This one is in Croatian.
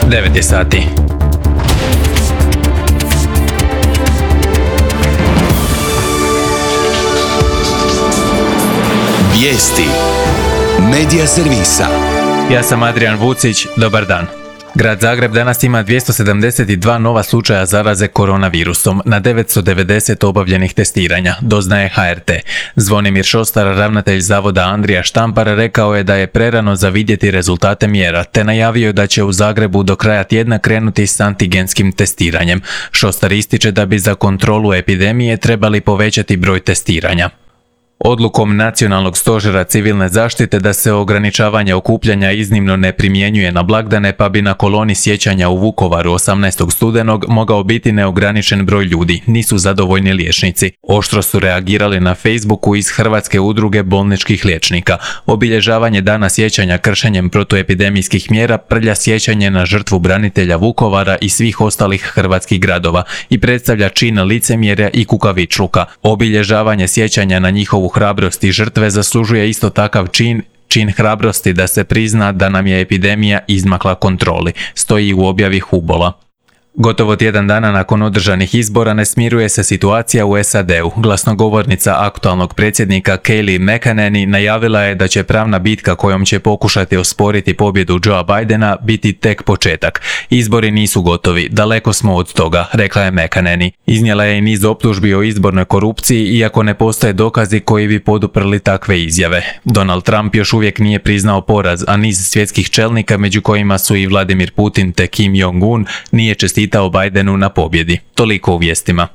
9 je sati. Vijesti Medija servisa. Ja sam Adrian Vucić, dobar dan. Grad Zagreb danas ima 272 nova slučaja zaraze koronavirusom na 990 obavljenih testiranja, doznaje HRT. Zvonimir Šostar, ravnatelj zavoda Andrija Štampar, rekao je da je prerano za vidjeti rezultate mjera, te najavio da će u Zagrebu do kraja tjedna krenuti s antigenskim testiranjem. Šostar ističe da bi za kontrolu epidemije trebali povećati broj testiranja. Odlukom Nacionalnog stožera civilne zaštite da se ograničavanje okupljanja iznimno ne primjenjuje na blagdane, pa bi na koloni sjećanja u Vukovaru 18. studenog mogao biti neograničen broj ljudi, nisu zadovoljni liječnici. Oštro su reagirali na Facebooku iz Hrvatske udruge bolničkih liječnika. Obilježavanje dana sjećanja kršenjem protuepidemijskih mjera prlja sjećanje na žrtvu branitelja Vukovara i svih ostalih hrvatskih gradova i predstavlja čin licemjerja i kukavičluka. Obilježavanje sjećanja na njihovu hrabrost i žrtve zaslužuje isto takav čin hrabrosti da se prizna da nam je epidemija izmakla kontroli, stoji u objavi Hubola. Gotovo tjedan dana nakon održanih izbora ne smiruje se situacija u SAD-u. Glasnogovornica aktualnog predsjednika Kayleigh McEnany najavila je da će pravna bitka kojom će pokušati osporiti pobjedu Joea Bidena biti tek početak. Izbori nisu gotovi, daleko smo od toga, rekla je McEnany. Iznijela je i niz optužbi o izbornoj korupciji, iako ne postoje dokazi koji bi poduprli takve izjave. Donald Trump još uvijek nije priznao poraz, a niz svjetskih čelnika, među kojima su i Vladimir Putin te Kim Jong-un, nije čestitao Bidenu na pobjedi. Toliko u vijestima.